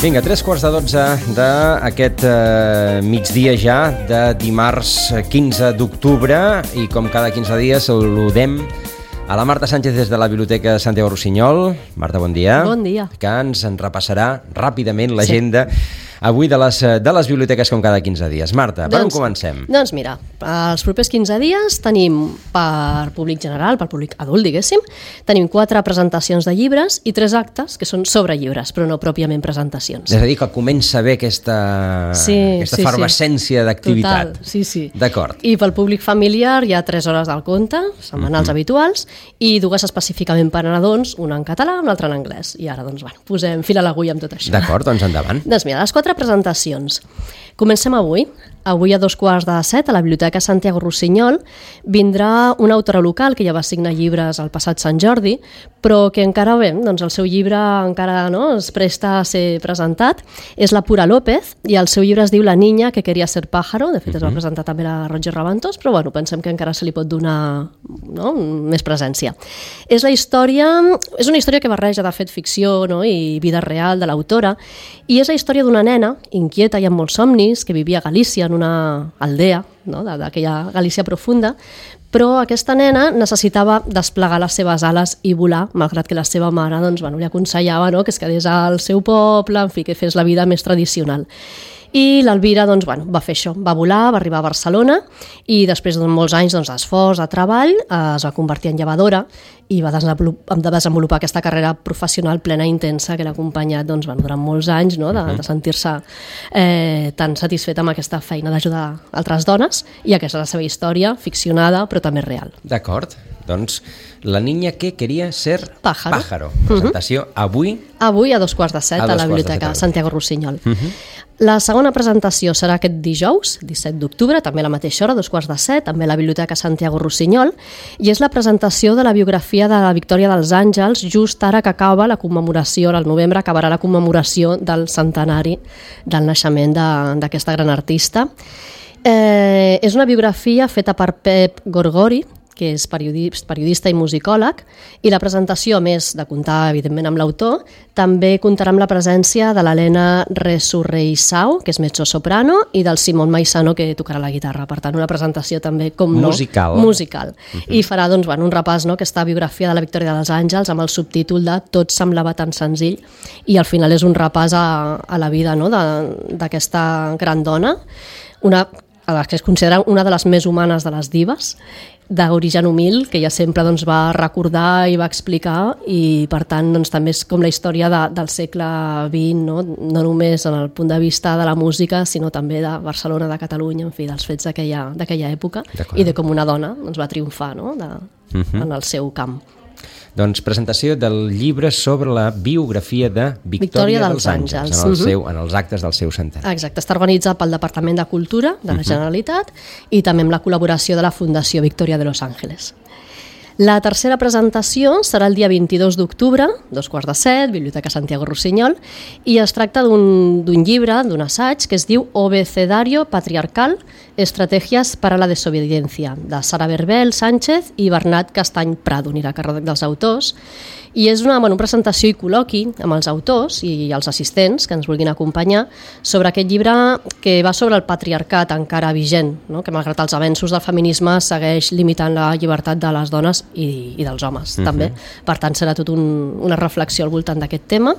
Vinga, 3:45 d'aquest migdia ja de dimarts 15 d'octubre i com cada 15 dies saludem a la Marta Sánchez des de la Biblioteca Santiago Rossinyol. Marta, bon dia. Bon dia. Que ens en repassarà ràpidament l'agenda avui de les biblioteques com cada 15 dies. Marta, per on comencem? Doncs mira, els propers 15 dies tenim per públic general, per públic adult, diguéssim, tenim 4 presentacions de llibres i 3 actes que són sobre llibres, però no pròpiament presentacions. És a dir, que comença bé aquesta efervescència d'activitat. Total, sí. D'acord. I pel públic familiar hi ha 3 hores del conte, setmanals habituals, i 2 específicament per a nadons, una en català i l'altra en anglès. I ara, doncs, posem fil a l'agulla amb tot això. D'acord, doncs endavant. Doncs mira, les 4 presentacions. Comencem avui. Avui a 6:45 a la Biblioteca Santiago Rossinyol vindrà una autora local que ja va signar llibres al passat Sant Jordi, però que encara doncs el seu llibre encara es presta a ser presentat. És la Pura López i el seu llibre es diu La niña que quería ser pájaro. De fet, es va presentar també a la Roger Rabantos, però pensem que encara se li pot donar més presència. És una història que barreja, de fet, ficció i vida real de l'autora, i és la història d'una nena inquieta i amb molts somnis que vivia a Galícia, en una aldea d'aquella Galícia profunda, però aquesta nena necessitava desplegar les seves ales i volar, malgrat que la seva mare li aconsellava que es quedés al seu poble, en fi, que fes la vida més tradicional. I l'Elvira va fer això, va volar, va arribar a Barcelona i després de molts anys d'esforç, de treball, es va convertir en llevadora i va desenvolupar aquesta carrera professional plena i intensa que l'ha acompanyat durant molts anys, de sentir-se tan satisfeta amb aquesta feina d'ajudar altres dones, i aquesta és la seva història, ficcionada però també real. D'acord, doncs La niña que quería ser pájaro. Presentació avui a 6:45 a la Biblioteca Santiago Rossinyol. La segona presentació serà aquest dijous, 17 d'octubre, també a la mateixa hora, 2:45, també a la Biblioteca Santiago Rossinyol, i és la presentació de la biografia de la Victòria dels Àngels, just ara que acaba la commemoració, al novembre acabarà la commemoració del centenari del naixement d'aquesta gran artista. És una biografia feta per Pep Gorgori, que és periodista i musicòleg, i la presentació, a més de comptar, evidentment, amb l'autor, també comptarà amb la presència de l'Helena Resurreissau, que és mezzo-soprano, i del Simón Maisano, que tocarà la guitarra. Per tant, una presentació també, musical. I farà un repàs, aquesta biografia de la Victòria dels Àngels amb el subtítol de Tot semblava tan senzill, i al final és un repàs a la vida d'aquesta gran dona, que es considera una de les més humanes de les dives, d'origen humil, que ella sempre va recordar i va explicar, i per tant també és com la història del segle XX, no només en el punt de vista de la música, sinó també de Barcelona, de Catalunya, en fi, dels fets d'aquella època, i de com una dona va triomfar en el seu camp. Doncs presentació del llibre sobre la biografia de Victòria dels Àngels en els actes del seu centenari. Exacte, està organitzat pel Departament de Cultura de la Generalitat i també amb la col·laboració de la Fundació Victòria de Los Ángeles. La tercera presentació serà el dia 22 d'octubre, 2:45, Biblioteca Santiago Rossinyol, i es tracta d'un llibre, d'un assaig, que es diu Obecedario Patriarcal, Estrategias para la Desobediencia, de Sara Berbel Sánchez i Bernat Castany Prado, anirà a càrrec dels autors, i és una presentació i col·loqui amb els autors i els assistents que ens vulguin acompanyar sobre aquest llibre que va sobre el patriarcat encara vigent, que malgrat els avenços del feminisme segueix limitant la llibertat de les dones i dels homes també. Per tant, serà tot una reflexió al voltant d'aquest tema,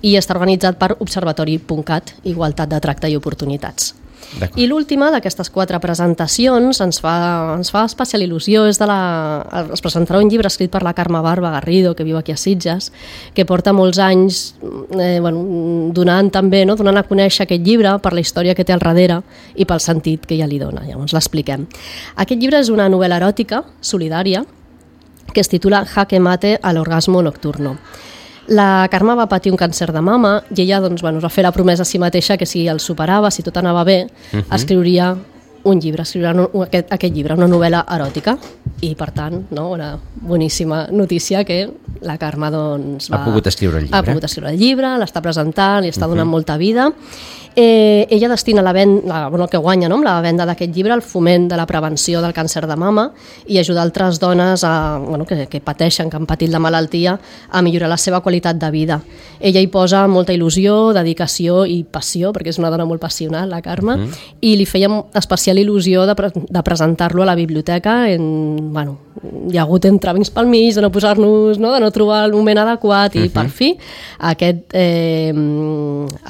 i està organitzat per Observatori.cat, Igualtat de Tracte i Oportunitats. I l'última d'aquestes 4 presentacions ens fa especial il·lusió. Es presentarà un llibre escrit per la Carme Barba Garrido, que viu aquí a Sitges, que porta molts anys donant a conèixer aquest llibre per la història que té al darrere i pel sentit que ella li dona. Llavors l'expliquem. Aquest llibre és una novel·la eròtica solidària que es titula Jaque mate al orgasmo nocturno. La Carme va patir un càncer de mama i ella es va fer la promesa a si mateixa que si el superava, si tot anava bé, escriuria un llibre, aquest llibre, una novel·la eròtica, i per tant, una boníssima notícia que la Carme ha pogut escriure el llibre. Ha pogut escriure el llibre, l'està presentant, li està donant molta vida, Ella destina el que guanya, no?, amb la venda d'aquest llibre al foment de la prevenció del càncer de mama i ajudar altres dones que pateixen, que han patit la malaltia, a millorar la seva qualitat de vida. Ella hi posa molta il·lusió, dedicació i passió, perquè és una dona molt passional, la Carme, i li feia especial il·lusió de presentar-lo a la biblioteca. Hi ha hagut entrevincs pel mig, de no posar-nos, de no trobar el moment adequat, i per fi,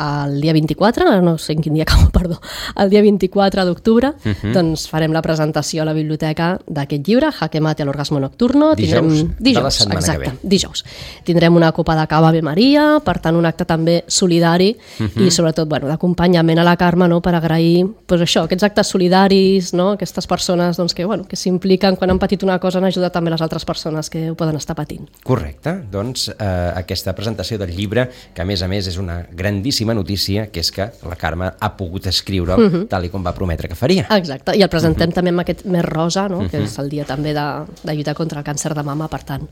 el dia 24, no sé en quin dia acabo, perdó, el dia 24 d'octubre, doncs farem la presentació a la biblioteca d'aquest llibre, Jaque Mate a l'orgasmo nocturno. Dijous de la setmana que ve. Dijous. Tindrem una copa de cava Ave Maria, per tant un acte també solidari i sobretot d'acompanyament a la Carme, per agrair aquests actes solidaris, aquestes persones que s'impliquen quan han patit una cosa en ajudar també les altres persones que ho poden estar patint. Correcte. Doncs aquesta presentació del llibre, que a més és una grandíssima notícia, que és que la Carme ha pogut escriure'l tal com va prometre que faria. Exacte, i el presentem també amb aquest mes rosa, que és el dia també de lluitar contra el càncer de mama, per tant,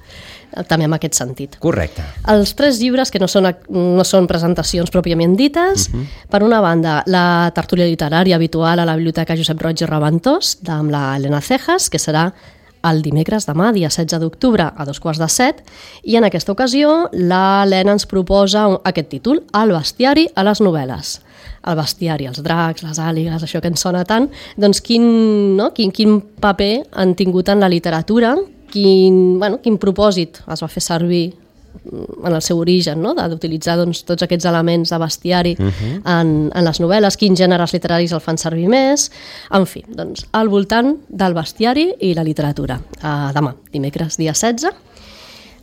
també en aquest sentit. Correcte. Els 3 llibres, que no són presentacions pròpiament dites, per una banda, la tertúlia literària habitual a la Biblioteca Josep Roig i Raventós, amb la Elena Cejas, que serà el dimecres demà, dia 16 d'octubre, a 6:45, i en aquesta ocasió l'Helena ens proposa aquest títol, El bestiari a les novel·les. El bestiari, els dracs, les àligues, això que ens sona tant, doncs quin paper han tingut en la literatura, quin propòsit es va fer servir en el seu origen, d'utilitzar tots aquests elements de bestiari en les novel·les, quins gèneres literaris el fan servir més, en fi, doncs al voltant del bestiari i la literatura. Demà, dimecres, dia 16.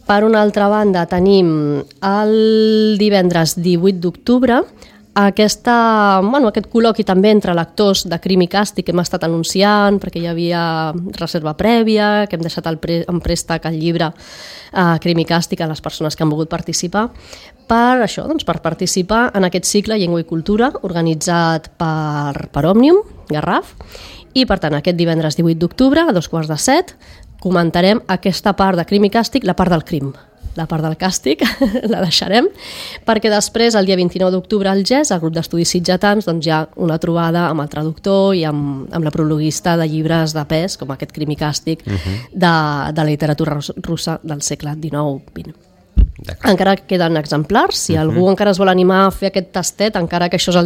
Per una altra banda, tenim el divendres 18 d'octubre aquest col·loqui també entre lectors de Crim i Càstig que hem estat anunciant, perquè hi havia reserva prèvia, que hem deixat en préstec el llibre Crim i Càstig a les persones que han volgut participar, per participar en aquest cicle Llengua i Cultura organitzat per Òmnium, Garraf, i per tant aquest divendres 18 d'octubre a 6:45 comentarem aquesta part de Crim i Càstig, la part del crim. La part del càstig la deixarem, perquè després, el dia 29 d'octubre, al GES, el grup d'estudis sitgetans, hi ha una trobada amb el traductor i amb la prologuista de llibres de pes, com aquest Crim i Càstig, de la literatura russa del segle XIX-XX. Encara queden exemplars, si algú encara es vol animar a fer aquest tastet, encara que això és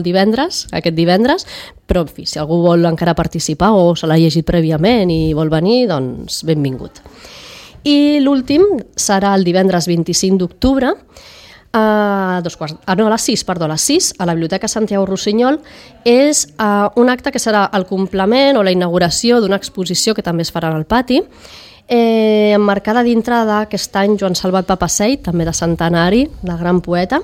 aquest divendres, però en fi, si algú vol encara participar o se l'ha llegit prèviament i vol venir, doncs benvingut. I l'últim serà el divendres 25 d'octubre a les 6, a la Biblioteca Santiago Rossinyol. És un acte que serà el complement o la inauguració d'una exposició que també es farà al pati, emmarcada dintre d'aquest any Joan Salvat Papasseit, també de centenari, del gran poeta.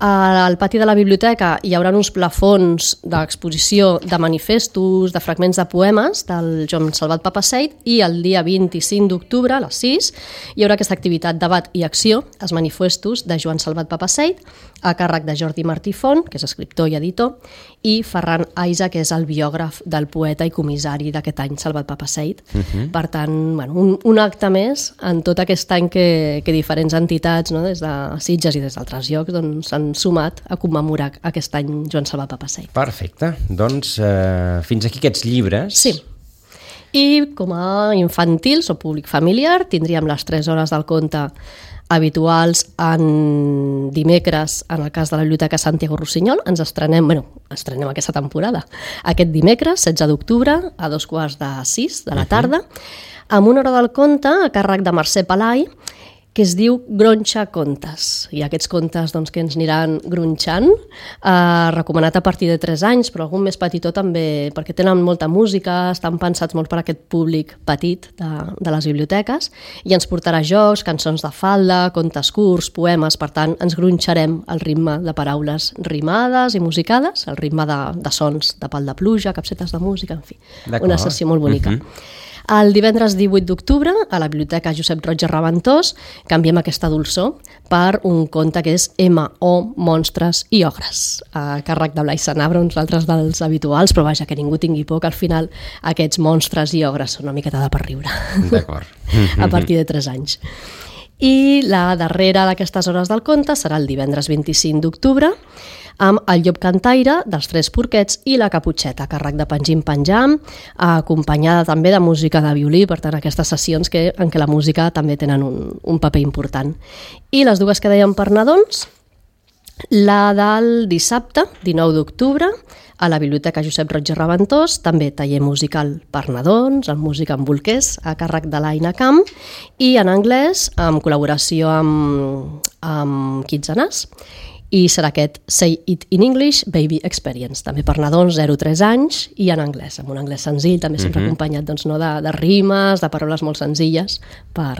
Al pati de la biblioteca hi haurà uns plafons d'exposició de manifestos, de fragments de poemes del Joan Salvat Papasseit, i el dia 25 d'octubre, a les 6, hi haurà aquesta activitat debat i acció, els manifestos de Joan Salvat Papasseit, a càrrec de Jordi Martí Font, que és escriptor i editor, i Ferran Aiza, que és el biògraf del poeta i comissari d'aquest any, Salvat Papasseit. Per tant, un acte més en tot aquest any que diferents entitats, des de Sitges i des d'altres llocs, s'han sumat a commemorar aquest any Joan Salvat Papasseit. Perfecte. Doncs fins aquí aquests llibres. Sí. I com a infantils o públic familiar tindríem les 3 hores del conte habituals en dimecres, en el cas de la Biblioteca Santiago Rossinyol. Estrenem aquesta temporada. Aquest dimecres, 16 d'octubre, a 5:45 de la tarda, amb una hora del conte a càrrec de Mercè Palai, que es diu Gronxa Contes. I aquests contes que ens aniran gronxant, recomanat a partir de 3 anys, però algun més petitó també, perquè tenen molta música, estan pensats molt per aquest públic petit de les biblioteques, i ens portarà jocs, cançons de falda, contes curts, poemes. Per tant, ens gronxarem el ritme de paraules rimades i musicades, el ritme de sons de pal de pluja, capsetes de música, en fi, una sessió molt bonica. El divendres 18 d'octubre, a la Biblioteca Josep Roig i Raventós, canviem aquesta dolçor per un conte que és M.O. Monstres i Ogres, a càrrec de Blai Sanabra, uns altres dels habituals, però vaja, que ningú tingui por, que al final aquests monstres i ogres són una miqueta de per riure. D'acord. A partir de 3 anys. I la darrera d'aquestes hores del conte serà el divendres 25 d'octubre, amb el llop cantaire dels Tres Porquets i la Caputxeta, a càrrec de Pengim Penjam, acompanyada també de música de violí, per tant, aquestes sessions en què la música també tenen un paper important. I les dues que dèiem per nadons, la del dissabte, 19 d'octubre, a la Biblioteca Josep Roig i Reventós, també taller musical per nadons, amb música en bolquers, a càrrec de l'Aina Camp, i en anglès, amb col·laboració amb Kids and Us, i serà aquest Say It in English Baby Experience, també per nadons 0-3 anys i en anglès, amb un anglès senzill, també sempre acompanyat de rimes, de paraules molt senzilles, per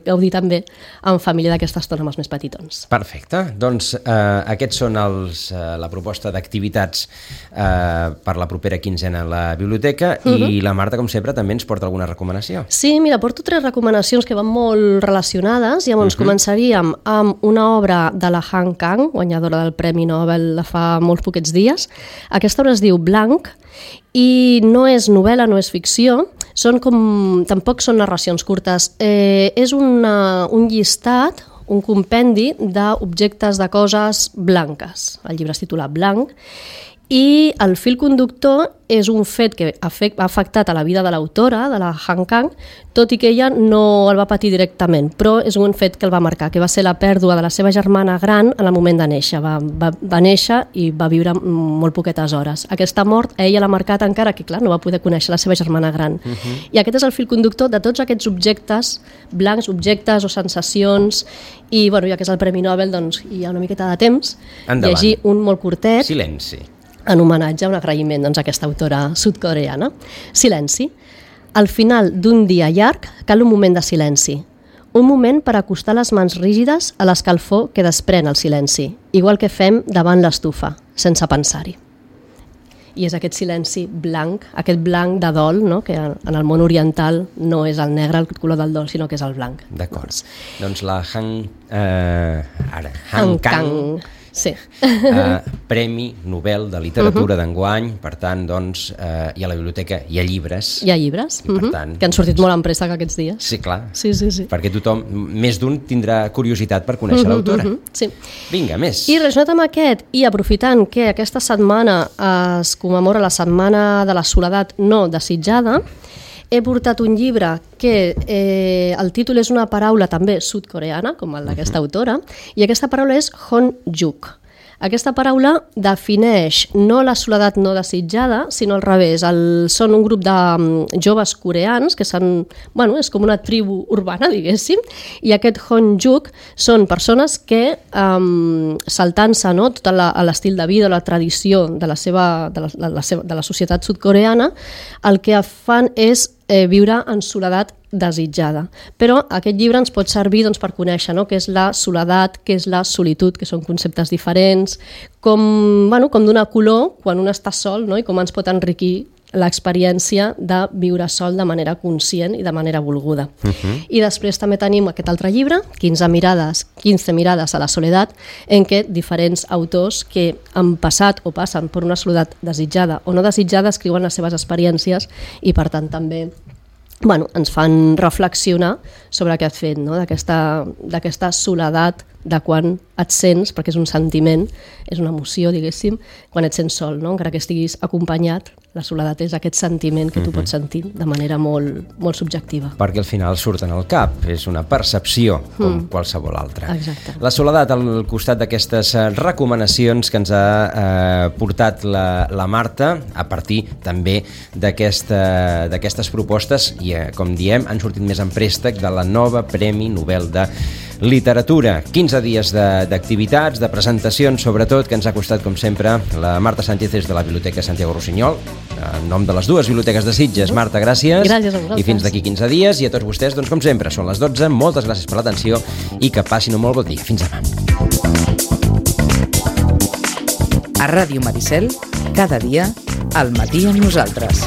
gaudir també en família d'aquesta estona amb els més petitons. Perfecte, doncs aquests són la proposta d'activitats per la propera quinzena a la biblioteca i la Marta, com sempre, també ens porta alguna recomanació. Sí, mira, porto 3 recomanacions que van molt relacionades. Llavors començaríem amb una obra de la Han Kang, guanyadora del Premi Nobel de fa molts poquets dies. Aquesta obra es diu Blanc i no és novel·la, no és ficció, tampoc són narracions curtes. És un llistat, un compendi d'objectes de coses blanques. El llibre es titula Blanc i el fil conductor és un fet que ha afectat a la vida de l'autora, de la Han Kang, tot i que ella no el va patir directament, però és un fet que el va marcar, que va ser la pèrdua de la seva germana gran en el moment de néixer. Va néixer i va viure molt poquetes hores. Aquesta mort a ella l'ha marcat encara que, clar, no va poder conèixer la seva germana gran. I aquest és el fil conductor de tots aquests objectes blancs, objectes o sensacions, i ja que és el Premi Nobel, doncs hi ha una miqueta de temps. Endavant. Llegir un molt curtet. Silenci. En homenatge, un agraïment a aquesta autora sud-coreana. Silenci. Al final d'un dia llarg cal un moment de silenci. Un moment per acostar les mans rígides a l'escalfor que desprèn el silenci, igual que fem davant l'estufa, sense pensar-hi. I és aquest silenci blanc, aquest blanc de dol, no? Que en el món oriental no és el negre el color del dol, sinó que és el blanc. D'acord. Doncs la Han Kang, sí. Premi Nobel de Literatura d'enguany, per tant, doncs, i a la biblioteca hi ha llibres. Hi ha llibres, que han sortit molt en préstec aquests dies. Sí, clar, sí. perquè tothom, més d'un, tindrà curiositat per conèixer l'autora. Sí. Vinga, més. I relacionat amb aquest, i aprofitant que aquesta setmana es commemora la Setmana de la Soledat no desitjada, he portat un llibre que el títol és una paraula també sud-coreana, com el d'aquesta autora, i aquesta paraula és Honjuk. Aquesta paraula defineix no la soledat no desitjada, sinó al revés. Són un grup de joves coreans que és com una tribu urbana, diguéssim, i aquest Honjuk són persones que, saltant-se tot l'estil de vida, la tradició de la societat sud-coreana, el que fan és viure en soledat desitjada. Però aquest llibre ens pot servir per conèixer què és la soledat, què és la solitud, que són conceptes diferents, com donar color quan un està sol, i com ens pot enriquir l'experiència de viure sol de manera conscient i de manera volguda. I després també tenim aquest altre llibre, 15 mirades a la soledat, en què diferents autors que han passat o passen per una soledat desitjada o no desitjada escriuen les seves experiències i per tant també ens fan reflexionar sobre aquest fet, d'aquesta soledat de quan et sents, perquè és un sentiment, és una emoció, diguéssim, quan et sents sol, encara que estiguis acompanyat, la soledat és aquest sentiment que tu pots sentir de manera molt, molt subjectiva. Perquè al final surten al cap, és una percepció com qualsevol altra. Exacte. La soledat al costat d'aquestes recomanacions que ens ha portat la Marta, a partir també d'aquestes propostes, i com diem, han sortit més en préstec de la nova Premi Nobel de Literatura. 15 dies d'activitats, de presentacions, sobretot, que ens ha costat, com sempre, la Marta Sánchez des de la Biblioteca Santiago Rossinyol, en nom de les dues biblioteques de Sitges. Marta, gràcies. Gràcies a vosaltres. I fins d'aquí 15 dies. I a tots vostès, doncs, com sempre, són les 12. Moltes gràcies per l'atenció i que passin un molt bon dia. Fins demà. A Ràdio Maricel, cada dia, al matí amb nosaltres.